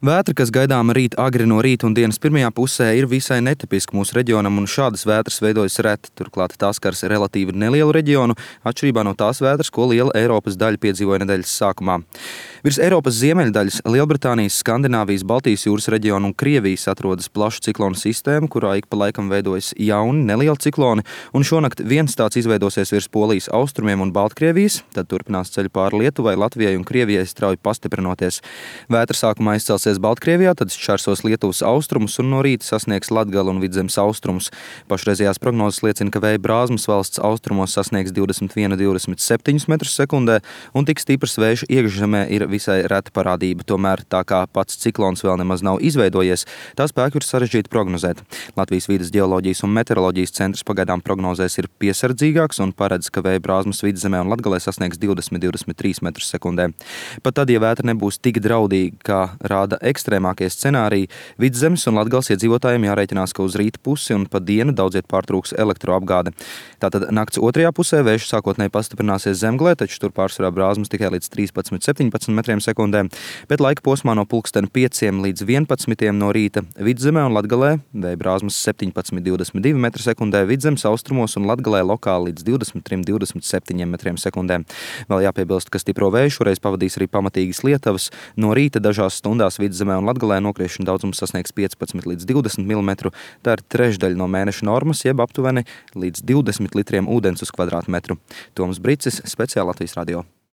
Vētra, kas gaidāma rīt agri no rīta un dienas pirmajā pusē, ir visai netipiska mūsu reģionam, un šādas vētras veidojas reti. Turklāt tās skars relatīvi nelielu reģionu, atšķirībā no tās vētras, ko liela Eiropas daļa piedzīvoja nedēļas sākumā. Virs Eiropas ziemeļdaļas, Lielbritānijas, Skandināvijas, Baltijas jūras reģiona un Krievijas atrodas plaša ciklonu sistēma, kurā ik pa laikam veidojas jauni, nelieli cikloni, un šonakt viens tāds izveidosies virs Polijas austrumiem un Baltkrievijas, tad turpinās ceļu pāri Lietuvai, Latvijai un Krievijai strauji pastiprinoties. Vētra sākumā izcelsies Baltkrievijā, tad šķērsos Lietuvas austrumus un no rīta sasniegs Latgali un Vidzemes austrumus. Pašreizējās prognozes liecina, ka vēja brāzmas valsts austrumos sasniegs 21–27 metrus sekundē, un tik stiprs vējš iekšzemē ir visai reta parādība. Tomēr, tā kā pats ciklons vēl nemaz nav izveidojies, tā spēku ir sarežģīti prognozēt. Latvijas vides ģeoloģijas un meteoroloģijas centrs pagaidām prognozēs ir piesardzīgāks un paredz, ka vēja brāzmas Vidzemē un Latgalē sasniegs 20–23 metrus sekundē. Pat tad, ja vētra nebūs tik draudīga, kā rāda ekstrēmākie scenāriji, Vidzemes un Latgales iedzīvotājiem jārēķinās, ka uz rīta pusi un pa dienu daudziet pārtrūks elektroapgāde. Tātad nakts otrajā pusē vējš sākotnēji pastiprināsies Zemgalē, taču tur pārsvarā brāzmas tikai līdz 13–17 metriem sekundē, bet laika posmā no pulksteni 5 līdz 11 no rīta Vidzemē un Latgalē vēja brāzmas 17–22 metri sekundē, Vidzemes austrumos un Latgalē lokāli līdz 23–27 metriem sekundē. Vēl jāpiebilst, ka stipro vēju šoreiz pavadīs arī pamatīgas lietavas. No rīta dažās stundās Vidzemē un Latgalē nokriešana daudzums sasniegs 15–20 mm. Tā ir trešdaļa no mēneša normas, jeb aptuveni līdz 20 litriem ūdens uz kvadrātmetru. Toms Bricis, Speciāli Latvijas radio.